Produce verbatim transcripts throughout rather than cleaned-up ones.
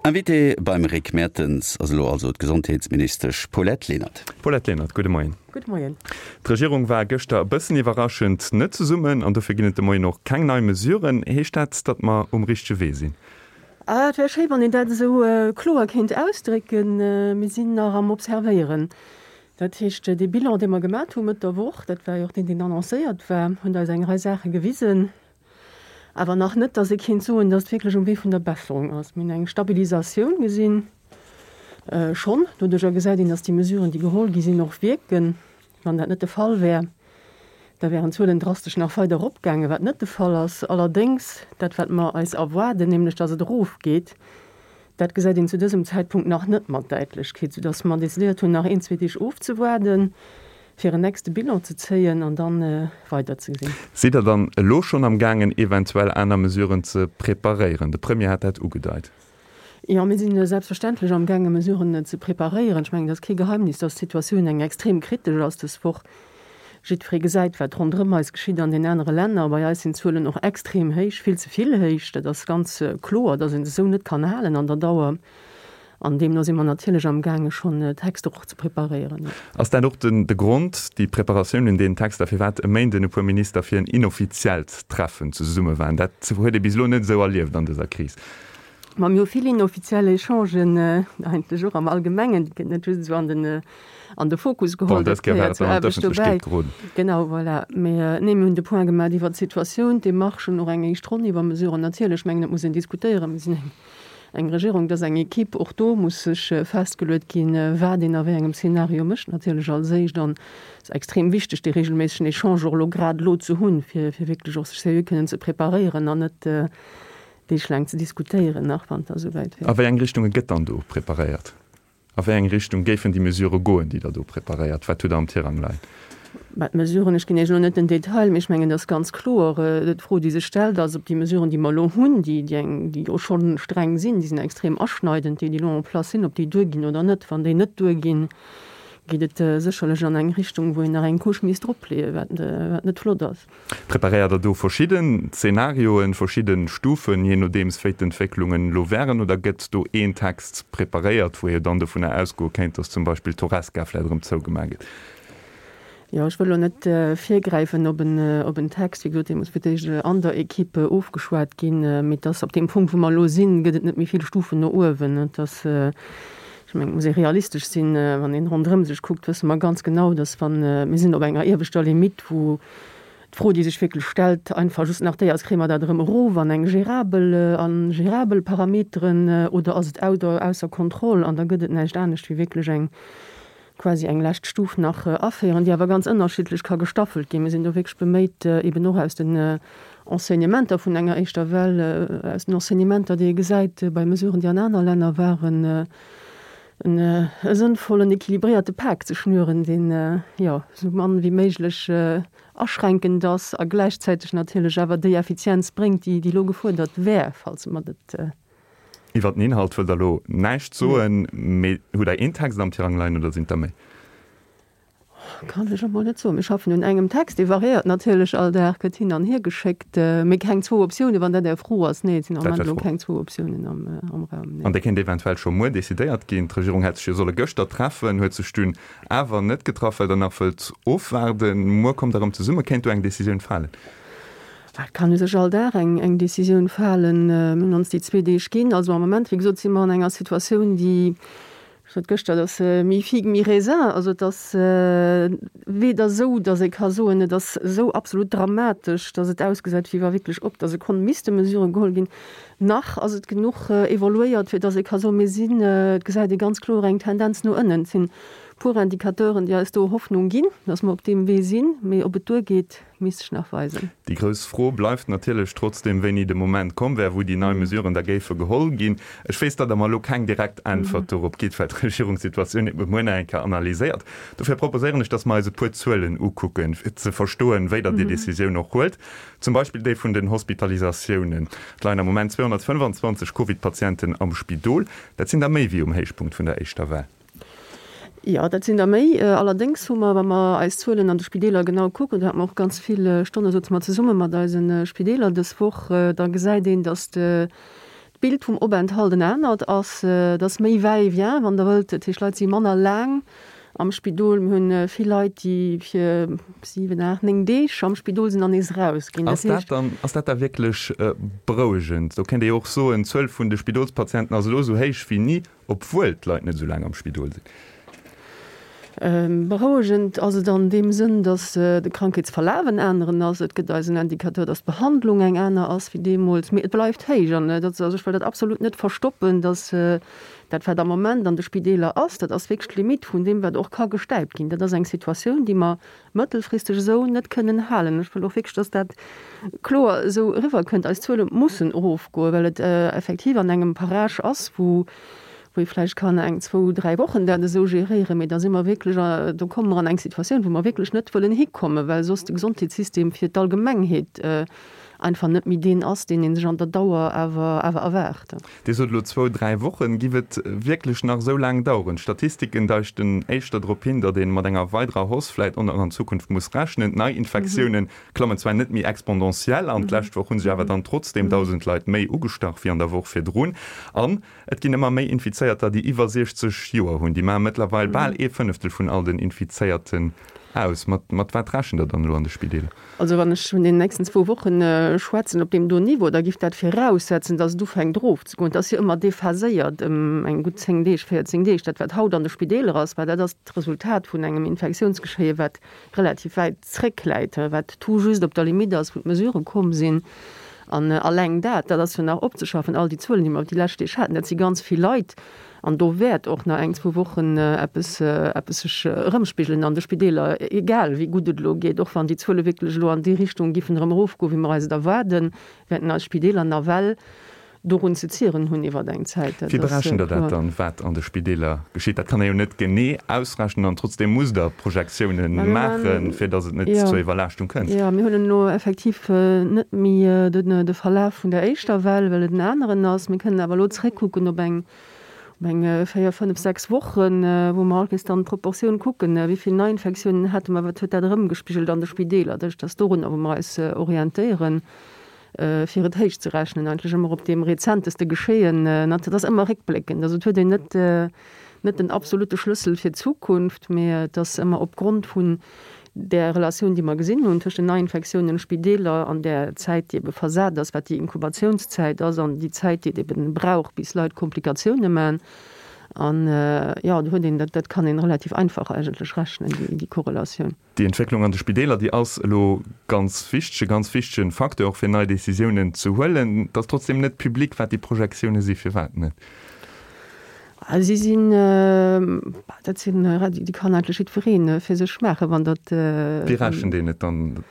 Invitée beim Rick Mertens ass elo also d'Gesondheetsministesch Paulette Lenert. Paulette Lenert, gudde Moien. Gudde Moien. D'Regierung war gëschter e bëssen iwwerraschend net zesummen an dofir ginn et de Moien och keng nei Mesuren. Heescht dat, datt mer um richtege Wee sinn? Ah, et wär schéi, wann een dat esou kloer kéint ausdrécken. Mir sinn nach am Observéieren. Dat heescht, dee Bilan, dee mer gemat hu Mëtt der Woch, dat war jo och deen, deen annoncéiert war, huet eis eng Rei Saache gewisen. Awer nach net, datt ee kéint soen, datt et wierklech um Wee vun der Besserung ass. Mir hunn eng Stabilisatioun gesinn, schonn. Doduerjer gesäit een, datt déi Mesuren, déi geholl gi sinn, och wierken. Wann dat net de Fall wär, da wären d'Zuelen drastesch nach weider eropgaangen, wat net de Fall ass. Allerdéngs, dat wat mer eis erwaarden, nämlech datt et erofgeet, dat gesäit een zu dësem Zäitpunkt nach net mat Däitlechkeet, soudatt mer decidéiert hunn, nach een, zwee Deeg ofzewaarden, fir en nächste Bilan ze zéien an da weiderzegesinn. Sidd Der dann elo schonn am gaangen, eventuell aner Mesuren ze preparéieren? De Premier hat dat ugedeit. Jo, mir si selbstverständlech am gaangen, Mesuren ze preparéieren. Ech mengen, et ass kee Geheimnis, dass d'Situatioun eng extrem kritesch ass dës Woch. Jiddweree gesäit, wat ronderëm eis geschitt an den anere Länner. Bei eis sinn d'Zuelen och extrem héich, vill ze vill héich. Dat ass ganz kloer, dass een se esou net kann halen an der Dauer. An deemno si mer natierlech amgaange schonn Texter och ze preparéieren. Ass dat och de Grond, déi Preparatioun un deenen Texter, firwat e Méinden e puer Minister fir en inoffiziellt Treffen zesumme waren? Dat huet ee bis elo net esou erlieft an dëser Kris. Ma mir hu vill inoffiziell Echangen, eigentlech och am Allgemengen, déi gëtt net just esou an den an de Fokus geholl, dat gehéiert zur Aarbecht dobäi. Genau, voilà. Mee nee, mir hunn de Point gemaach iwwert d'Situatioun, d'Demarchen, och eng éischt Ronn iwwer Mesuren. Natierlech, ech mengen, et muss een diskutéieren. Mir sinn eng Eng Regierung, dat ass eng Equipe, och do muss sech festgeluet ginn, wat een a wéi engem Szenario mécht natierlech als éischt. An et ass extrem wichteg, dee regelméissegen Echange och elo grad elo ze hunn, fir fir wierklech och sech seriö kënnen ze preparéieren an net deeglaang ze diskutéieren nach, wann et da souwäit wier. A wéi eng Richtunge gëtt dann do preparéiert? A wéi eng Richtung géifen déi Mesurë goen, déi Der do preparéiert? Wat hutt Der am Tirang leien? Mä d'Mesuren, ech ginn Iech elo net den Detail, mee ech mengen, et ass ganz kloer, d'Fro, déi sech stellt, ass, ob déi Mesuren, déi mer elo hunn, déi, déi eng, déi jo scho streng sinn, déi sinn extrem aschneidend, déi, déi elo en place sinn, ob déi duerginn oder net. Wann déi net duerginn, geet et sécherlech an eng Richtung, wou een nach eng Couche misst dropleeën, wat, wat net flott ass. Preparéiert Der do verschidden Zenarioen, verschidde Stufen, jee nodeems wéi d'Entwécklungen elo wären, oder gëtt do een Text preparéiert, wou ee jo dann dovunner ausgoe kéint, datt zum Beispill d'Horesca vläicht erëm zougemaach gëtt? Jo, ech wëll elo net virgräifen op en, op en Text. Wéi gesot, dee muss fir d'éischt an der Equipe ofgeschwat ginn. Mee et ass op deem Punkt, wou mer elo sinn, gëtt et net méi vill Stufen no uewen. Et ass, ech mengen, et muss ee realistesch sinn. Wann een ronderëm sech kuckt, wësse mer ganz genau, dass wann, mir sinn op enger ieweschter Limitt, wou d'Fro, déi sech wierklech stellt, einfach just nach déi ass, Kréie mer dat erëm erof an eng gérabel, a gérabel Parameteren oder ass et ausser Kontroll? An da gëtt et näischt anescht wéi wierklech eng quasi eng lescht Stuf nach aféieren, déi awer ganz ënnerschiddlech ka gestaffelt ginn. Mir sinn do wierklech beméit, eben och aus den Enseignementer vun enger éischter Well, aus den Enseignementer, déi ee gesäit bei Mesuren, déi an aner Länner waren, e sënnvollen, équilibréierte Pak ze schnüren, deen, jo, esou mann wéi méiglech aschränkend ass a gläichzäiteg natierlech awer déi Effizienz bréngt, déi elo gefuerdert wär, falls mer dat Iwwer den Inhalt wëllt Der elo näischt soen, mee hutt Der een Text am Tirang leien oder sinn et der méi? Kann ech elo mol net soen. Mir schaffen un engem Text, dee variéiert natierlech all Dag, gëtt hin an hier geschéckt, mee keng zwou Optiounen, wann dat Är Fro ass. Nee, et sinn am Moment elo keng zwou Optiounen am Raum, nee. An dee kéint eventuell scho muer decidéiert ginn. D'Regierung hätt sech jo solle gëschter treffen, huet sech dunn awer net getraff, well Der nach wëllt ofwaarden. Muer kommt Der erëm zesummen. Kéint do eng Decisioun falen? Et kann u sech all Dag eng Décisioun falen. Mir hunn ons déi zwee Deeg ginn. Also am Moment, wéi gesot, si mer an enger Situatioun, déi, ech sot gëschter, et ass mi-figue mi-raisin. Also et ass weder esou, datt ee ka soen, et ass esou absolut dramatesch, datt et ausgesäit, wéi wa wierklech op der Sekonn misste Mesurë geholl ginn, nach ass et genuch evoluéiert, fir datt ee ka soen, mir sinn, et gesäit ee ganz kloer eng Tendenz no ënnen. Et sinn e puer Indicateuren, déi eis do Hoffnung ginn, datt mer op deem Wee sinn. Mee ob et duergeet, Misst sech nach weisen. Déi grouss Fro bleift natierlech trotzdeem, wéini de Moment komm wär, wou déi nei Mesuren da géife geholl ginn. Ech weess, datt Der mer elo keng direkt Äntwert dorop gitt, well d'Regierung d'Situatioun ebe muer nach eng Kéier analyséiert. Dofir proposéieren ech, datt mer eis e puer Zuelen ukucken, fir ze verstoen, wéi Der déi Decisioun och huelt. Zum Beispill déi vun den Hospitalisatiounen. Et leien am Moment zweehonnertfënnfanzwanzeg Covid-Patienten am Spidol. Dat sinn der méi wéi um Héichpunkt vun der éischter Well. Jo, dat sinn der méi. Allerdéngs hu mer, wa mer eis Zuelen an de Spideeler genau kucken, do hate mer och ganz vill Stonne souze mer zesumme mat eise Spideeler dës Woch, da gesäit een, datt D'Bild vum Openthalt en anert ass, et ass méi Va-et-vient, wann Der wëllt. Dat heescht, d'Leit si manner laang am Spidol. Mir hunn vill Leit, déi fir siwen, aacht, néng Deeg am Spidol sinn an nees erausginn. Ass dat dann, ass dat da wierklech berouegend? Do kéint ee jo och soen, d'Zuel vun de Spidolspatienten ass elo esou héich wéi ni, obwuel d'Leit net esou laang am Spidol sinn. Berouegend ass et an deem Sënn, datt de Krankheetsverlaf en aneren ass. Et gëtt eis en Indicateur, datt d'Behandlung eng aner ass wéi deemools. Mee et bleift héich an dat, also ech wëll dat absolut net verstoppen, datt dat wat am Moment an de Spideeler ass, dat ass wierklech d'Limitt vun deem wat och ka gestäipt ginn. Dat ass eng Situatioun, déi mer mëttelfristeg esou net kënnen halen. Ech wëll och wierklech, datt dat kloer esou eriwwerkënnt. Eis Zuele mussen erofgoen, well et effektiv an engem Parage ass, wou wou ee vläicht kann eng, zwou, dräi Wochen dat esou geréieren, mee da si mer wierklech, do komme mer an eng Situatioun, wou mer wierklech net wëllen hikommen, well soss de Gesondheetssystem fir d'Allgemengheet einfach net méi deen ass, deen ee sech an der Dauer awer awer erwaart. Dir sot elo zwou, dräi Wochen. Giff et wierklech nach esou laang daueren? D'Statistiken deuten éischter drop hin, datt ee mat enger weiderer Hausse vläicht och nach an Zukunft muss rechnen. D'Neiinfektioune klammen zwar net méi exponentiell an, d'lescht Woch hu sech awer dann trotzdeem dausend Leit méi ugestach wéi an der Woch virdrun. An et ginn ëmmer méi Infizéierter, déi iwwer siechzeg Joer hunn. Déi maache mëttlerweil bal ee Fënneftel vun all den Infizéierten aus. Mat mat wat rechent Der dann elo an de Spideeler? Also wann ech vun den nächsten zwou Wochen schwätzen op deem do Niveau, da giff dat viraussetzen, datt et ufänkt erofzegoen. Et ass jo ëmmer déphaséiert ëm eng gutt zéng Deeg, véierzéng Deeg. Dat wat haut an de Spideeler ass, well dat ass d'Resultat vun engem Infektiounsgeschéie wat relativ wäit zréckläit, wat tout juste op der Limite ass, wou d'Mesurë komm sinn. An alleng dat, dat ass jo nach opzeschaffen, all déi Zuelen, déi mer déi lescht Deeg haten, dat si ganz vill Leit. An do wäert och nach eng, zwou Wochen eppes, eppes sech erëmspigelen an de Spideeler, egal wéi gutt et elo geet. Och wann déi Zuele wierklech elo an déi Richtung giffen erëm erofgoen, wéi mer eis et erwaarden, wäerten eis Spideeler nawell dorun ze zieren hunn iwwer eng Zäit. Wéi berechent Der dat dann, wat an de Spideeler geschitt? Dat kann ee jo net genee ausrechnen an trotzdeem musst Der Projektiounen maachen, fir datt et net zur Iwwerlaaschtung kënnt. Jo, mir hunn elo effektiv net méi de Verlaf vun der éischter Well, well et en aneren ass. Mir kënnen awer elo zréckkucken op eng op eng véier, fënnef, sechs Wochen, wou mer all Kees dann d'Proportioun kucken, wéi vill Neiinfektiounen hate mer, wat huet dat erëmgespigelt an de Spideeler. Dat ass dorunner, wou mer eis orientéieren. fir et héich ze rechnen, eigentlech ëmmer op deem rezenteste Geschéien, dat ass ëmmer réckbléckend, also et huet een net net den absolute Schlëssel fir d'Zukunft, mee et ass ëmmer opgrond vun där Relatioun, déi mer gesinn hunn tëscht den Neiinfektiounen, Spideeler an där Zäit, déi ebe versat ass, wat déi Inkubatiounszäit ass an déi Zäit, déi et ebe brauch, bis Leit Komplikatioune man. An, jo, do huet een, dat kann een relativ einfach eigentlech rechnen, déi Korrelatioun. Déi Entwécklung an de Spideeler, déi ass elo ganz wichteg, e ganz wichtege Facteur och fir nei Décisiounen ze huelen. Et ass trotzdem net public, wat déi Projektioune si. Firwat net? Si sinn, dat sinn, déi kann eigentlech jiddweree fir sech maachen, wann dat. Wéi rechent een et dann?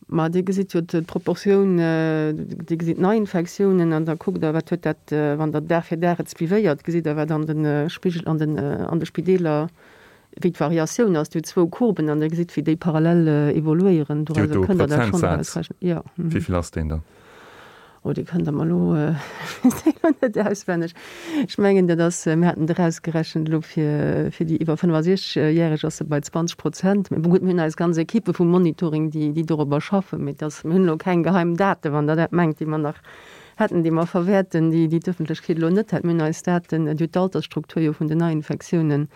Ma Dir gesitt jo d'Proportioun, Dir gesitt d'Neiinfektiounen an da kuckt Der, wat huet dat, wann Der Dag fir Dag et suivéiert, gesitt Der, wat an de Spigel, an den, an de Spideeler, wéi d'Variatioun ass. Dir hutt zwou Courben an Der gesitt, wéi déi parallel evoluéieren. Dir hutt Dorauser do e kënnt Der dat schonn Prozentsaz. erausrechnen. Jo. Wéi vill ass deen dann? Oh, dee kënnt Der mer elo, ech weess deen elo net auswenneg. Ech mengen, dat ass, mir haten et erausgerechent elo fir, fir déi iwwer fënnefasiechzeg Järeg ass se bei zwanzeg Prozent. Mee bon, gutt, mir hunn eis ganz Ekippe vum Monitoring, déi, déi dorobber schaffen. Mee et ass, mir hunn elo keng geheim Daten, wann Der dat mengt, déi mer nach hätten, déi mer verwäerten, déi, déi d'Ëffentlechkeet elo net hätt. Mir hunn eis Daten, Dir hutt d'Altersstruktur jo vun den Neiinfektiounen.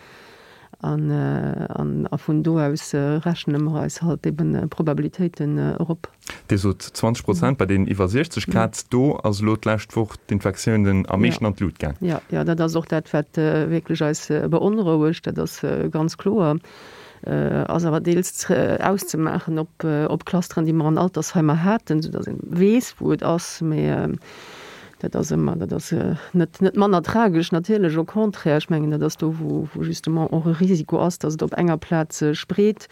An a vun do aus rechne mer eis halt eben Probabilitéiten erop. Dir sot zwanzeg Prozent bei deenen iwwer siechzeg Grad. Do ass elo d'lescht Woch d'Infektiounen am meeschten an d'Lut gaang. Jo, jo, dat ass och dat, wat wierklech eis beonrouegt. Dat ass ganz kloer. Ass awer deels auszemaachen op op Clusteren, déi mer an Altersheimer haten, soudatt ee weess, wou et ass. Mee Dat ass ëmmer, dat ass net, net manner tragesch natierlech, au contraire. Ech mengen, dat ass do, wou, wou justement och e Risiko ass, datt et op enger Plaz sech breet.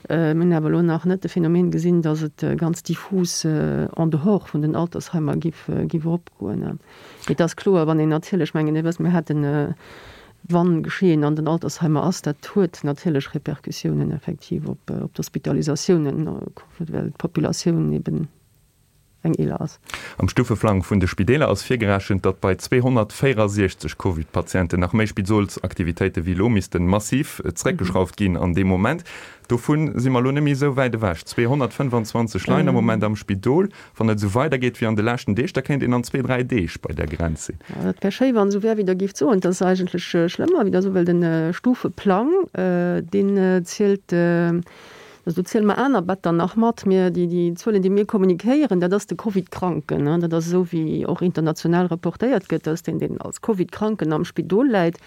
Mir hunn awer elo nach net de Phänomen gesinn, datt et ganz diffus en dehors vun den Altersheimer giff, giff eropgoen. Mee et ass kloer, wann een natierlech, ech mengen, Dir wësst, mir haten, wann Geschehen an den Altersheimer ass, dat huet natierlech Répercussiounen effektiv op, op d'Hospitalisatiounen, well d'Populatioun eben eng eeler ass. Am Stufeplang vun de Spideeler ass virgerechent, datt bei zweehonnertvéierundsechzeg Covid-Patienten nach méi Spidolsaktivitéite wéi elo missten massiv zeréckgeschrauft ginn an deem Moment. Dovun si mer elo net méi esou wäit ewech. zweehonnertfënnefanzwanzeg leien am Moment am Spidol. Wann et esou weidergeet wéi an de leschten Deeg, da kéint een an zwee, dräi Deeg bei där Grenz sinn. Jo, dat wär schéi, wann esou wär, wéi Der géift soen. Et ass eigentlech schlëmmer, wéi Der sot, well de Stufeplang, deen zielt, also do ziele mer aner Better nach mat. Mir, déi, déi Zuelen, déi mir kommunikéieren, dat ass de Covid-Kranken. Dat ass esou, wéi och international reportéiert gëtt, dass deen, deen als Covid-Kranken am Spidol läit,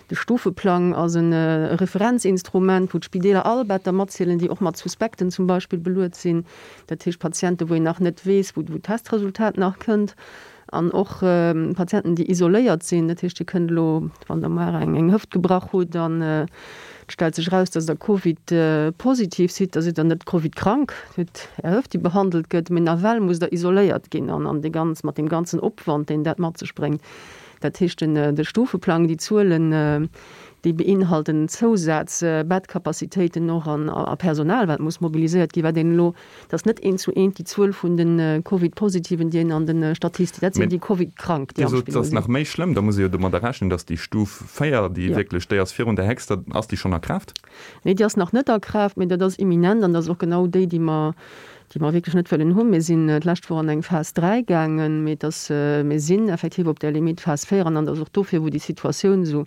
De Stufeplang ass e Referenzinstrument, wou d'Spideeler all Better matzielen, déi och mat Suspekten zum Beispill beluet sinn, dat heescht Patienten, wou een nach net weess, wou d'Testresultat nach kënnt, an och Patienten, déi isoléiert sinn. Dat heescht, Dir kënnt elo, wann Der mar eng Hëft gebrach hutt an et stellt sech eraus, dass Der Covid-positiv sidd, da sidd Der net Covid-krank, Dir hutt Är Hëft, déi behandelt gëtt, mee nawell musst Der isoléiert ginn an dee ganz, mat deem ganzen Opwand, deen dat mat sech bréngt. Dat heescht, de Stufeplang, déi Zuelen, déi beinhalten Zousaz Bettcapacitéiten och an a Personal, wat muss mobiliséiert ginn, wat een elo, dat ass net eent zu eent déi Zuel vun de Covid-Positiven, déi een an de Statistik, dat sinn déi Covid-Krank, déi am Spidol sinn. Dir sot, et ass nach méi schlëmm, da muss ee jo domadder rechnen, datt déi Stuf véier, déi wierklech, déi ass virun der héchster, ass déi schonn a Kraaft? Nee, déi ass nach net a Kraaft, mee dat ass imminent an dat ass och genau déi, déi mer, déi mer wierklech net wëllen hunn. Mir sinn d'lescht Woch an eng Phas dräi gaangen, mee et ass, mir sinn effektiv op där Limite Phas véier an an et ass och dofir, wou déi Situatioun esou,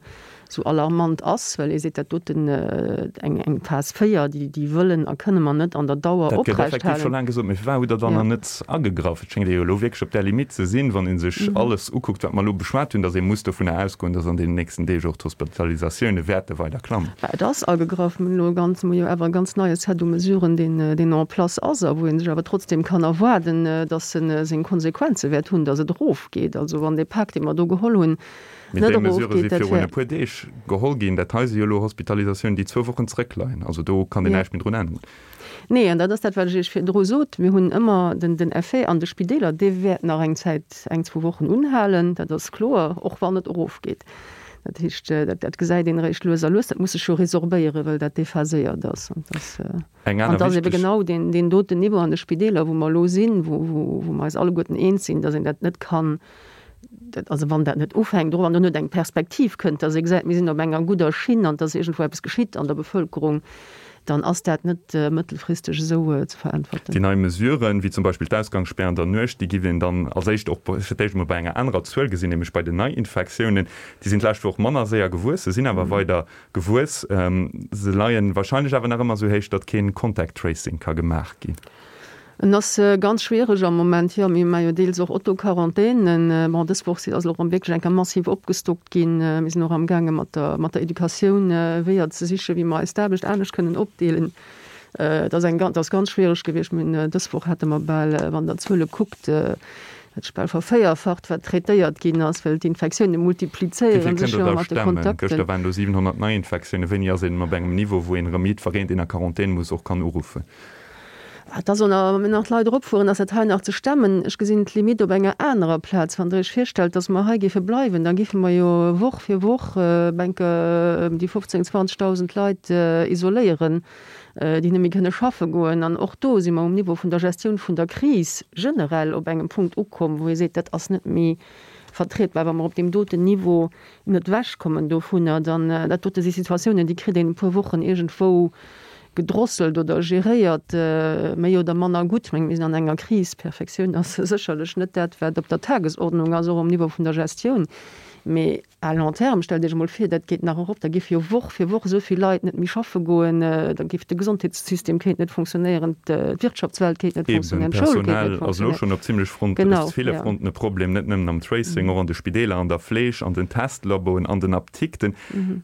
esou alarmant ass, well ee seet, dat doten, eng, eng Phas véier, déi, déi wëllen a kënne mer net an der Dauer Dat gëtt effektiv scho oprechthalen. laang gesot, mee firwat hutt Der dann Jo. nach net agegraff? Et schéngt ee jo elo wierklech op där Limite ze sinn, wann ee sech alles ukuckt, wat mer elo beschwat hunn, datt ee muss dovunner ausgoen, datt an deenen nächsten Deeg och d'Hospitalisatioune wäerte weider klammen. Bah, et ass agegraff. Mir hunn elo e ganz, mir hu jo awer e ganz neie Set u Mesuren, deen, deen en place ass a wou ee sech awer trotzdem kann erwaarden, dass e seng Konsequenze wäert hunn, dass et erofgeet. Also wann dee Pak, dee mer do geholl hunn, Mee net déi Mesurë si erofgeet, dat virun e wär. puer Deeg geholl ginn. Dat hei si jo elo Hospitalisatiounen, déi zwou Wochen zrëckleien. Also do kann een Jo. näischt méi drun änneren. Nee, an dat ass dat, wat ech Iech virdru sot. Mir hunn ëmmer den, den Effet an de Spideeler, dee wäert nach eng Zäit, eng, zwou Wochen unhalen, dat ass kloer, och wann et erofgeet. Dat heescht, dat, dat gesäit een eréischt lues a lues. Dat muss sech jo resorbéieren, well dat déphaséiert ass. An dass, Eng an aner dass ebe wichteg. genau deen, deen doten Niveau an de Spideeler, wou mer elo sinn, wou, wou, wou mer eis alleguerten eens sinn, dass een dat net kann, dat, also wann dat net ufänkt, och wann do net eng Perspektiv kënnt, dass ee gesäit, mir sinn op enger gudder Schinn an dass iergendwou eppes geschitt an der Bevëlkerung, dann ass dat net mëttelfristeg esou ze veräntwerten. Déi nei Mesuren, wéi zum Beispill d'Ausgangsspär an der Nuecht, déi giff een dann als éischt och fir d'éischt emol bei enger anerer Zuel gesinn, nämlech bei den Neiinfektiounen. Déi sinn d'lescht Woch manner séier gewuess, se sinn awer weider gewuess. Se leien wahrscheinlech awer nach ëmmer esou héich, datt keen Contact Tracing ka gemaach ginn. En ass ganz schwiereg am Moment, jo. Mir maache jo deels och Auto-Quarantänen. Bon, dës Woch ass elo erëm wierklech eng Kéier massiv opgestockt ginn. Mir sinn och amgaange mat der, mat der Educatioun Weeër ze sichen, wéi mer eis d'Aarbecht anescht kënnen opdeelen. Et ass eng, et ass ganz schwiereg gewiescht. Mir hunn dës Woch hate mer bal, wann Der d'Zuele kuckt, dat sech bal vervéierfacht, wat traitéiert ginn ass, well d'Infektioune Wéi vill multiplizéiere kënnt sech Der jo da mat de stemmen? Kontakten. Gëschter waren do siwenhonnert Neiinfektiounen. Wéini ass een op engem Niveau, wou een erëm jiddwereen, deen a Quarantän muss, och kann uruffen? Et ass och nach, wa mir nach d'Leit eropfueren, ass dat hei nach ze stemmen. Ech gesinn d'Limite op enger anerer Plaz. Wann Der Iech virstellt, dass mer hei géife bleiwen, da géife mer jo Woch fir Woch enke ëm déi fofzéng, zwanzegdausend Leit isoléieren, déi net méi kënne schaffe goen. An och do si mer um Niveau vun der Gestioun vun der Kris generell op engem Punkt ukomm, wou ee seet, dat ass net méi vertrietbar. Wa mer op deem doten Niveau net ewechkommen dovunner, dann, dat dote si Situatiounen, déi kritt een e puer Wochen iergendwou gedrosselt oder geréiert, méi oder manner gutt. Ech mengen, mir sinn an enger Kris. Perfektioun ass sécherlech net dat, wat op der Tagesordnung ass, och um Niveau vun der Gestioun. Mee à long terme, stellt Iech emol vir, dat geet nach erop, da géife jo Woch fir Woch esou vill Leit net méi schaffe goen, da géif de Gesondheetssystem kéint net funktionéieren, d'Wirtschaftswelt kéint net Eben, funktionéieren, d'Schoul kéint net d'Personal ass elo funktionéieren. schonn op zimlech Front, op Genau, ville ja. Fronten e Problem, net nëmmen am Tracing, och an de Spideeler, an der Fleeg, an den Testlaboen, an den Apdikten.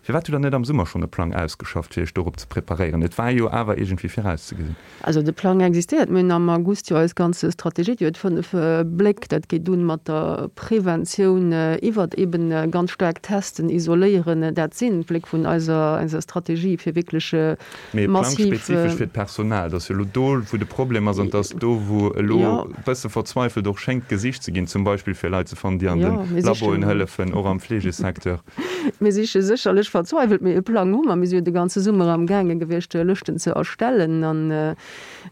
Firwat hutt Der net am Summer schonn e Plang ausgeschafft, fir Iech dorop ze preparéieren? Et war jo awer iergendwéi virauszegesinn. Also de Plang existéiert. Mir hunn am August jo eis ganz Strategie, déi huet fënnef Bléck. Dat geet un mat der Preventioun iwwert eben eben ganz staark testen, isoléieren, dat sinn d'Bléck vun eiser, eiser Strategie, fir wierklech Mee massiv. Plangspezifesch fir d'Personal, dat ass jo elo do, wou de Problem ass an dat ass do, wou elo e bësse verzweifelt och schéngt gesicht ze ginn, zum Beispill fir Leit ze fannen, déi an de Laboen hëllefen, och am Fleegesecteur. Mir siche sécherlech verzweiwelt, mee e Plang hu mer. Mir si jo de ganze Summer amgaange gewiescht, Lëschten ze erstellen an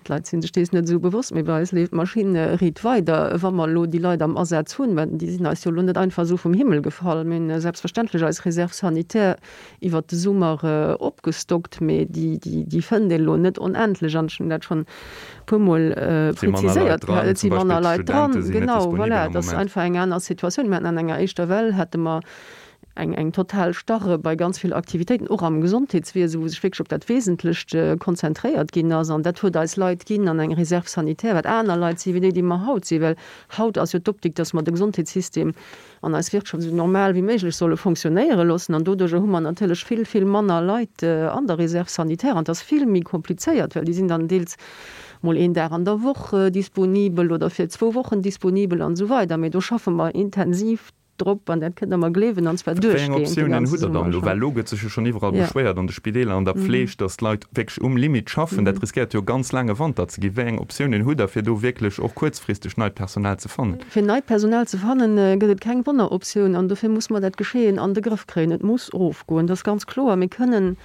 d'Leit si sech dees net esou bewosst, mee bei eis leeft d'Maschinn riit weider. Wa mer elo déi Leit am Asaz hunn, mä déi sinn eis jo elo net einfach esou vum Himmel gefall, mir hunn selbstverständlech eis Réserve sanitaire iwwert de Summer opgestockt, mee déi, déi fënnt een elo net onendlech an ech hunn dat schonn e puermol präziséiert gehat. Et si manner Leit dran, genau, voilà, et ass einfach eng aner Situatioun. Mir haten an enger éischter Well hate mer eng, eng total Starre bei ganz vill Aktivitéiten, och am Gesondheetswiese, wou sech wierklech op dat Wesentlecht konzentréiert ginn ass. An dat huet eis Leit ginn an eng Réserve sanitaire, wat aner Leit si wéi déi, déi mer haut sinn. Well haut ass jo d'Optik, dass mer de Gesondheetssystem an eis Wirtschaft esou normal wéi méiglech solle fonctionnéiere loossen. An doduerjer hu mer natierlech vill, vill manner Leit an der Réserve sanitaire. An et ass vill méi komplizéiert, well déi sinn dann deels mol een Dag an der Woch disponibel oder fir zwou Wochen disponibel an esou weider. Mee do schaffe mer intensiv drop, an dat kënnt Der mer gleewen, an zwar Wéi eng duerchgehend de Optiounen ganze hutt Der Summer dann elo? schonn. Well elo gëtt sech jo schonn iwwerall Ja. beschwéiert, an de Spideeler, an der Pfleg, datt d'Leit wierklech um Limit schaffen. Dat riskéiert jo ganz laange Wanter ze ginn. Wéi eng Optiounen hutt Der, fir do wierklech och kuerzfristeg neit Personal ze fannen? Fir neit Personal ze fannen, gëtt et keng Wonneroptioun an dofir muss mer dat Geschehen an de Grëff kréien. Et muss erofgoen, dat ass ganz kloer. Mir kënnen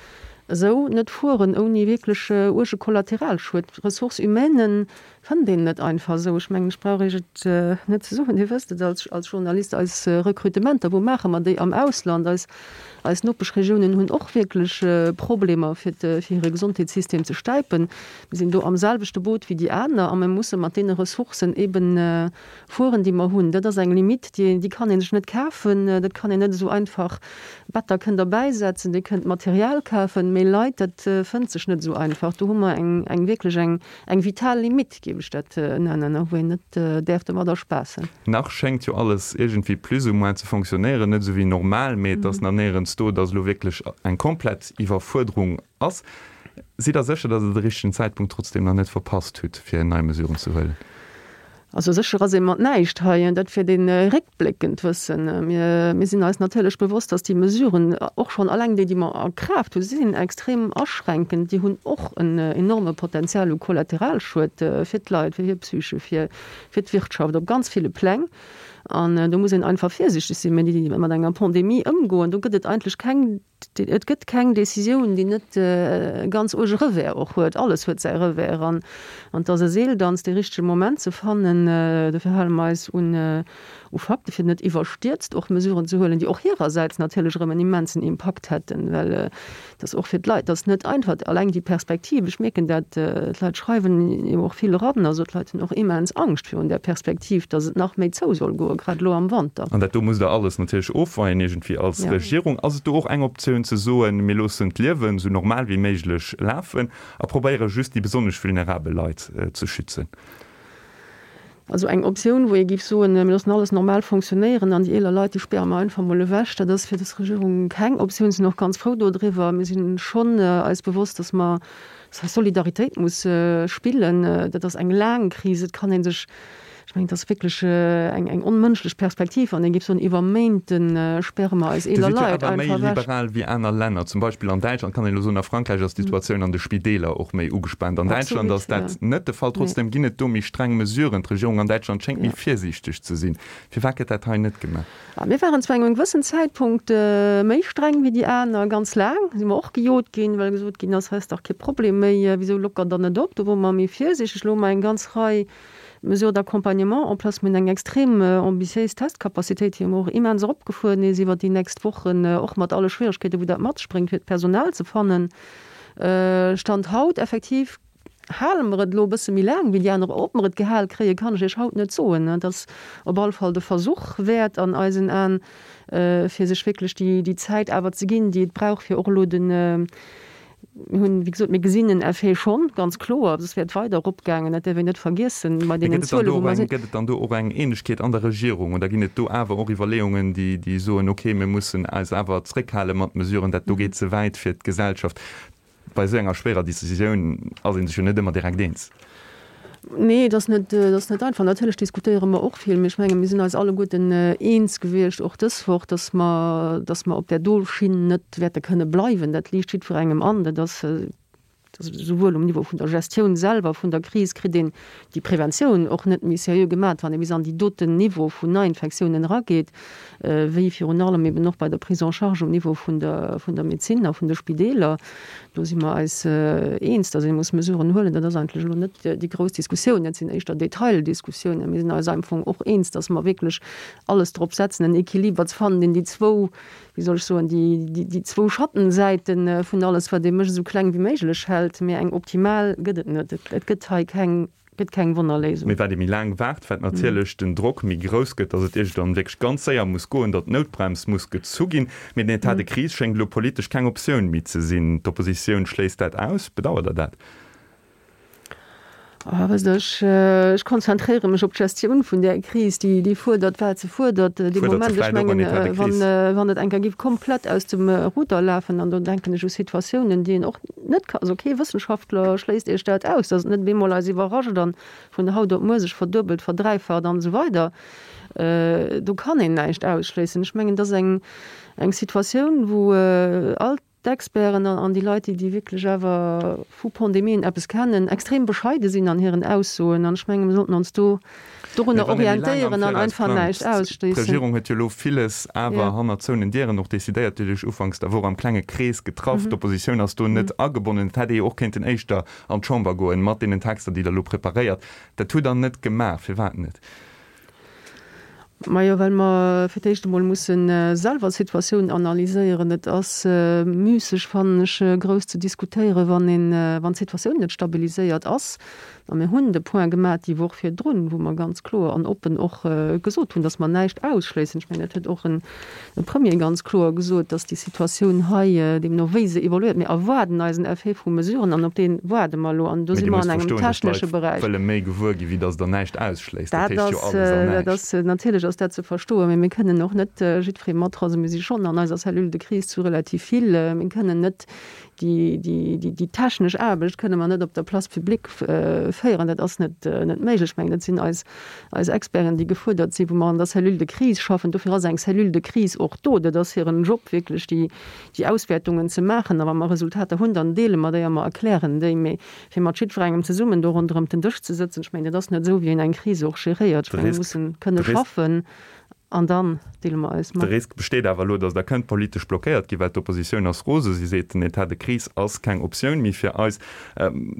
esou net fueren ouni wierklech uerge Kollateralschued. Ressources humaines fënnt een net einfach esou. Ech mengen, ech brauch Iech et net ze soen, Dir wësst et als, als Journalist, eis Rekrutementer, wou maache mer déi? Am Ausland. Eis, eis Nopeschregiounen hunn och wierklech Problemer, fir de, fir hire Gesondheetssystem ze stäipen. Mir sinn do am selwechte Boot wéi déi aner a mir musse mat deene Ressourcen eben fueren, déi mer hunn. Dat ass eng Limite, déi, déi kann ee sech net kafen. Dat kann een net esou einfach, Better kënnt Der bäisetzen, Dir kënnt Material kafen, mee Leit, dat fënnt sech net esou einfach. Do hu mer eng, eng wierklech eng, eng vital Limite, géif ech dat nennen, a wou een net däerf domadder spaassen. Nach schéngt jo alles iergendwéi plus ou moins ze fonctionnéieren, net esou wéi normal, mee et ass nach néierens do, datt elo wierklech eng komplett Iwwerfuerderung ass. Sidd Der sécher, datt Der de richtegen Zäitpunkt trotzdem nach net verpasst hutt, fir nei Mesuren ze huelen? Also sécher ass ee mat näischt hei, dat fir dee réckbléckend wëssen. Mir, mir sinn eis natierlech bewosst, datt déi Mesuren, och schonn alleng déi, déi mer a Kraaft hunn, si sinn extrem aschränkend, déi hunn och en enorme Potenzial u Kollateralschued fir d'Leit, fir hir Psyche, fir, fir d'Wirtschaft op ganz ville Pläng. An do muss een einfach virsiichteg sinn, mä déi mat enger Pandemie ëmgoen, do gëtt et eigentlech keng, et gëtt keng Décisioun, déi net e ganz uerge Revers och huet. Alles huet säi Revers an an et ass e Seeldanz, dee richtege Moment ze fannen. Dofir hale mer eis un u Fakte, fir net iwwerstierzt och Mesuren ze huelen, déi och hirersäits natierlech erëm en immensen Impakt hätten, well et ass och fir d'Leit, et ass net einfach, alleng déi Perspektiv, ech mierken dat, d'Leit schreiwen jo och vill eran, also d'Leit hunn och immens Angscht virun där Perspektiv, datt et nach méi zou soll goen, grad elo am Wanter. An dat do musst Der alles natierlech ofweien iergendwéi als Regierung. Ass et do och eng Optioun ze soen, mir loossen d'Liewen esou normal wéi méiglech lafen a probéiere just déi besonnesch vulnerabel Leit ze schützen? Also eng Optioun, wou ee géif soen, mir loossen alles normal fonctionnéieren an déi eeler Leit, déi späre mer einfach mol ewech, dat ass fir dës Regierung keng Optioun. Sinn och ganz frou dodriwwer. Mir si schonn eis bewosst, datt mer Solidaritéit muss spillen. Dat ass eng laang Kris. Et kann ee sech, ech mengen, et ass wierklech eng eng onmënschlech Perspektiv, wann ee géif soen, iwwer Méinte späre mer eis Dir eeler sidd jo Leit awer méi einfach ewech. liberal wéi aner Länner. Zum Beispill an Däitschland kann een elo soen, a Frankräich ass d'Situatioun an de Spideeler och méi ugespaant. An Däitschland Absolut, ass dat jo. net de Fall. Nee. Trotzdem ginn et do méi streng Mesuren. D'Regierung an Däitschland schéngt méi Ja. virsiichteg ze sinn. Firwat gëtt dat hei net gemaach? A mir waren zu engem gewëssen Zäitpunkt méi streng wéi déi aner. Ganz laang si mer och gejot ginn, well gesot ginn ass, hei ass dach kee Problem méi, wisou lockert Der net op? Do wore mer méi virsiichteg. Elo hu mer eng ganz Rei Mesures d'accompagnement en place. Mir hunn eng extrem ambitiéis Testcapacitéit, déi och immens eropgefuer nees iwwert déi nächst Wochen, och mat alle Schwieregkeeten, wou dat mat sech bréngt, fir d'Personal ze fannen. Stand haut effektiv hale mer et elo e bësse méi laang wéi déi aner. Ob mer et gehal kréien, kann ech Iech haut net soen. Et ass op alle Fall de Versuch wäert an eisen Aen, fir sech wierklech déi Zäit awer ze ginn, déi et brauch, fir och elo den, Mir hunn, wéi gesot, mir gesinn en Effet schonn, ganz kloer. Soss wär et weider eropgaangen. Dat däerf een net vergiessen bei Mee deenen gëtt et dann Zuelen, do wou och mer eng, sinn. gëtt et dann do och eng Eenegkeet an der Regierung oder ginn et do awer och Iwwerleeungen, déi, déi soen, okay, mir mussen eis awer zréckhale mat Mesuren, dat do geet ze wäit fir d'Gesellschaft? Bei esou enger schwéierer Decisioun ass ee sech jo net ëmmer direkt eens. Nee, et ass net, et ass net einfach. Natierlech diskutéiere mer och vill, mee ech menge mir sinn eis alleguerten eens gewiescht, och dës Woch, datt mer, datt mer op där do Schinn net wäerte kënne bleiwen. Dat liicht jiddwerengem an. Dat ass esouwuel um Niveau vun der Gestioun selwer vun der Kris kritt een déi Preventioun och net méi seriö gemaat, wann ee bis an déi doten Niveau vun Neiinfektiounen erageet, wéi virun allem eben och bei der Prise en charge um Niveau vun der, vun der Medezin a vun de Spideeler. Do si mer eis eens, datt ee muss Mesuren huelen. Dat ass eigentlech elo net déi grouss Diskussioun, dat sinn éischter Detaildiskussiounen. Mir sinn eis am Fong och eens, datt mer wierklech alles drop setzen, en Equiliber ze fannen, deen déi zwou, wéi soll ech soen, déi, déi zwou Schattensäite vun alles, wat ee mécht, esou kleng wéi méiglech hält. Mee eng optimal gëtt et net. Et gëtt hei keng, gëtt keng Wonnerléisung. Mee wat ee méi laang waart, wat natierlech den Drock méi grouss gëtt, datt et iergendwann wierklech ganz séier muss goen, datt d'Noutbrems muss gezu ginn. Mee den État de crise schéngt elo politesch keng Optioun méi ze sinn. D'Oppositioun schléisst dat aus. Bedauert Der dat? Wësst Der, ech, ech konzentréiere mech op d'Gestioun vun där Kris, déi, déi fuerdert, wat se fuerdert. Dee Moment, ech mengen, wann, wann et eng Kéier géif komplett aus dem Ruder lafen, an do denken ech u Situatiounen, déi een och net ka, also kee Wëssenschaftler schléisst Iech dat aus, datt et net bemol eis iwwerrascht an vun haut op muer sech verduebelt, verdräifacht an esou weider. Do kann een näischt ausschléissen. Ech mengen, dat ass eng, eng Situatioun, wou all d'Experten an déi Leit, déi déi wierklech awer vu Pandemien eppes kennen, extrem bescheide sinn an hiren Aussoen. An ech menge mir sollten ons do dorunner orientéieren an einfach näischt ausschléissen. D'Regierung huet jo elo villes awer hannert zouenen Dieren och decidéiert. Dir hutt Iech ufanks der Woch am klenge Krees getraff. D'Oppositioun ass do net agebonnen. Et hätt ee jo och kéinten éischter an d'Chamber goen mat deenen Texter, déi Der elo preparéiert. Dat hutt Der net gemaach. Firwat net? Majo, well mer fir d'éischt emol musse selwer d'Situatioun analyséieren. Et ass müsseg, fannen ech, grouss ze diskutéieren, wann een, wann d'Situatioun net stabiliséiert ass. A mir hunn de Point gemaach déi Woch virdrun, wou mer ganz kloer an oppen och gesot hunn, datt mer näischt ausschléissen. Ech mengen, dat huet och de Premier ganz kloer gesot, datt déi Situatioun hei, deemno wéi se evoluéiert, mir erwaarden eisen Effet vu Mesuren an op dee waarde mer elo. An do Mee si Dir mer musst an engem verstoen, datt technesche d'Leit Beräich. wëlle méi gewuer ginn, wéi datt Der näischt ausschléisst. Dat Dat heescht jo ass, alles an dat näischt. ass, natierlech ass dat ze verstoen, mee mir kënnen och net jiddweree mat, also mir si schonn an eiser Cellule de crise zu relativ vill, mir kënnen net déi, déi, déi, déi technesch Aarbecht kënne mer net op der Place publique féieren, dat ass net, net méiglech. Ech mengen, dat sinn eis, eis Experten, déi gefuerdert sinn, wou mer an der Cellule de crise schaffen. Dofir ass eng Cellule de crise och do. Dat ass hiren Job, wierklech déi, déi Auswäertungen ze maachen. A wa mer Resultater hunn, dann deele mer déi a mer erklären déi. Mee fir mat jiddwerengem zesummen do ronderëm den Dësch ze sëtzen, ech mengen, dat ass net esou, wéi een eng Kris och geréiert. Ech De mengen, mir Risk, mussen kënne de Risk, schaffen an dann deele mer eis de mat. Risk besteet awer elo, datt Der kënnt politesch blockéiert ginn, well d'Oppositioun ass rose. Si seet, den État de crise ass keng Optioun méi fir eis.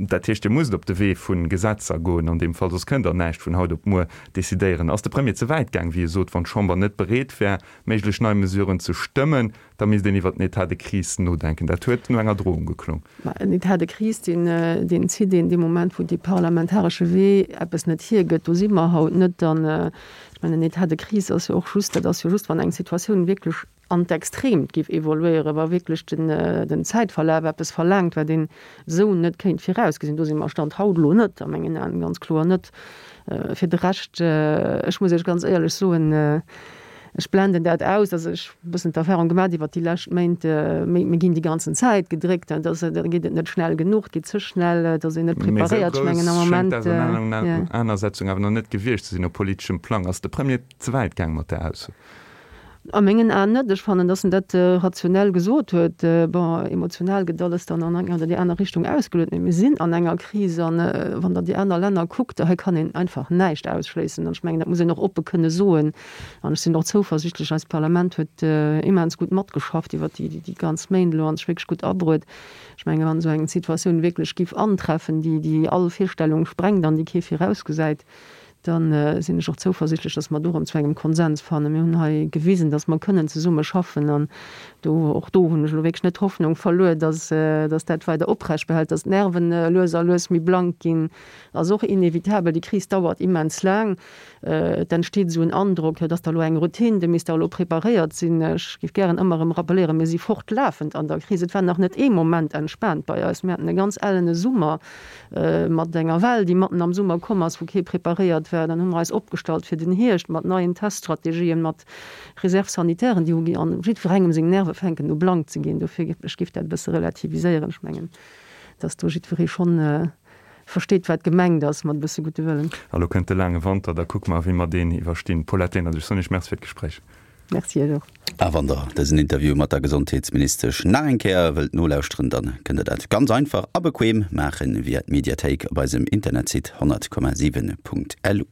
Dat heescht, Dir musst op de Wee vu Gesetzer goen an deem Fall, soss kënnt Der näischt vun haut op muer decidéieren. Ass de Premier ze wäit gaang, wéi e sot, wann d'Chamber net bereet wär, méiglech nei Mesuren ze stëmmen, da misst een iwwert den État de crise nodenken? Dat huet no enger Drohung geklong. Ma en État de crise, deen, deen zitt een dee Moment, wou dee parlamentaresche Wee eppes net hiergëtt. Do si mer haut net. An ech mengen, en État de crise ass jo och just, dat ass jo just, wann eng Situatioun wierklech an d'Extreemt géif evoluéieren, wa wierklech den, den Zäitverlaf eppes verlaangt, wat een esou net kéint virausgesinn. Do si mer Stand haut elo net, a mengen Aen ganz kloer net. Fir de Rescht, ech muss Iech ganz éierlech soen, ech blenden dat aus. Also ech hu e bëssen d'Erfahrung gemaach iwwert déi lescht Méint, mir ginn déi ganzen Zäit gedréckt, da geet et net schnell genuch, et geet ze schnell, et ass een net Mee esou preparéiert. Ech grouss mengen am schéngt Moment, jo. d'Ausenanersetzung awer nach net gewiescht ze sinn op politeschem Plang. Ass de Premier ze wäit gaang mat där Ausso? A mengen Aen net. Ech fannen, datt en dat rationell gesot huet. Bon, emotional gëtt alles dann an eng oder déi aner Richtung ausgeluet, mee mir sinn an enger Kris an wann Der déi aner Länner kuckt, hei kann een einfach näischt ausschléissen. An ech mengen, dat muss een och oppe kënne soen. An ech sinn och zouversichtlech, eist Parlament huet immens gutt matgeschafft iwwert déi ganz Méint elo an sech wierklech gutt abruet. Ech mengen, wann esou eng Situatioun wierklech géif antreffen, déi déi all Virstellung sprengt an déi kee virausgesäit, da sinn ech och zouversichtlech, dass mer do erëm zu engem Konsens fannen. Mir hunn hei gewisen, dass mer kënnen zesumme schaffen an do, och do hunn ech elo wierklech net d'Hoffnung verluer, dass, dass dat weider oprecht behält. Dass d'Nerven lues a lues méi blank ginn, ass och inevitabel. Déi Kris dauert immens laang. Et entsteet esou en Androck, jo, et ass da elo eng Routine, dir misst da elo preparéiert sinn. Ech géif gären ëmmer erëm rappelléieren, mir si fortlafend an der Kris. Et war nach net ee Moment entspaant bei eis. Mir haten e ganz ellene Summer mat enger Well, déi matten am Summer komm ass, wou kee preparéiert war. Dann hu mer eis opgestallt fir den Hierscht mat neien Teststrategien, mat Réserves sanitairen, déi hu gi an jiddwerengem seng Nerve fänken u blank ze ginn. Dofir, ech géif dat e bësse relativiséieren. Ech mengen, dass do jiddweree schonn versteet, wat gemengt ass mat e bësse gudde Wëllen. A lo kënnt de laange Wanter, da kucke mer, wéi mer deen iwwerstinn. Paulette Lenert, ech soen Iech Merci fir d'Gespréich. Merci Iech och. A wann der dësen Interview mat der Gesondheetsministesch nach eng Kéier wëllt nolauschteren, dann kënnt der dat ganz einfach a bequem maachen via d'Mediathéik op eisem Internetsite honnert Komma siwen Punkt lu.